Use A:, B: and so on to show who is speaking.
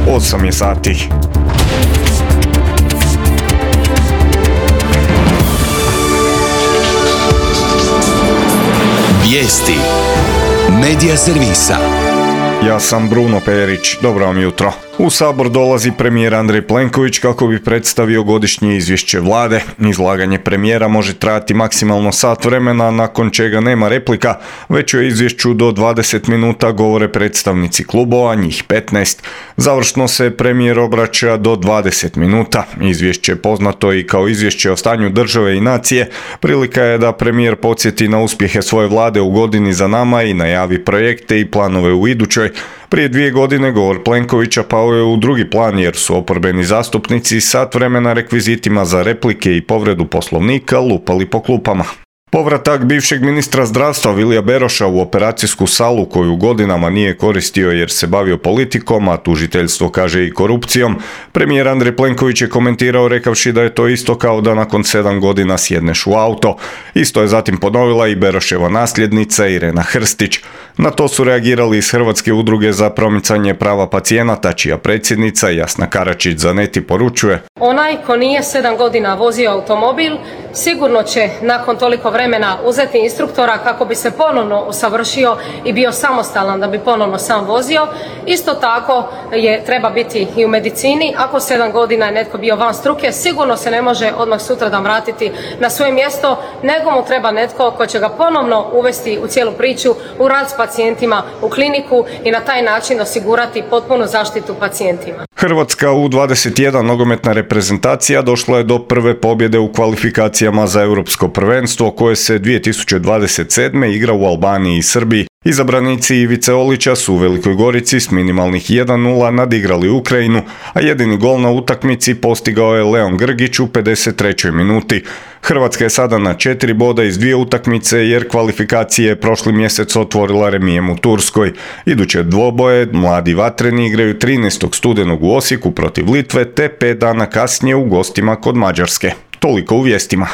A: 8 je sati.
B: Vijesti Medija servisa.
A: Ja sam Bruno Perić, dobro vam jutro. U Sabor dolazi premijer Andrej Plenković kako bi predstavio godišnje izvješće vlade. Izlaganje premijera može trajati maksimalno sat vremena, nakon čega nema replika, već o izvješću do 20 minuta govore predstavnici klubova, njih 15. Završno se premijer obraća do 20 minuta. Izvješće poznato i kao izvješće o stanju države i nacije. Prilika je da premijer podsjeti na uspjehe svoje vlade u godini za nama i najavi projekte i planove u idućoj. Prije 2 godine govor Plenkovića pao je u drugi plan jer su oporbeni zastupnici sat vremena rekvizitima za replike i povredu poslovnika lupali po klupama. Povratak bivšeg ministra zdravstva Vilija Beroša u operacijsku salu koju godinama nije koristio jer se bavio politikom, a tužiteljstvo kaže i korupcijom, premijer Andrej Plenković je komentirao rekavši da je to isto kao da nakon 7 godina sjedneš u auto. Isto je zatim ponovila i Beroševa nasljednica Irena Hrstić. Na to su reagirali iz Hrvatske udruge za promicanje prava pacijenata, čija predsjednica Jasna Karačić za Neti poručuje:
C: onaj ko nije 7 godina vozio automobil, sigurno će nakon toliko vremena uzeti instruktora kako bi se ponovno usavršio i bio samostalan da bi ponovno sam vozio. Isto tako treba biti i u medicini. Ako 7 godina je netko bio van struke, sigurno se ne može odmah sutradan vratiti na svoje mjesto, nego mu treba netko ko će ga ponovno uvesti u cijelu priču, u rad s pacijentima, u kliniku i na taj način osigurati potpunu zaštitu pacijentima.
A: Hrvatska U21 nogometna reprezentacija došla je do prve pobjede u kvalifikacijama za europsko prvenstvo koje se 2027. igra u Albaniji i Srbiji. Izabranici Ivice Olića su u Velikoj Gorici s minimalnih 1:0 nadigrali Ukrajinu, a jedini gol na utakmici postigao je Leon Grgić u 53. minuti. Hrvatska je sada na 4 boda iz 2 utakmice jer kvalifikacije je prošli mjesec otvorila remijem u Turskoj. Iduće dvoboje mladi vatreni igraju 13. studenog u Osijeku protiv Litve te 5 dana kasnije u gostima kod Mađarske. Toliko u vijestima.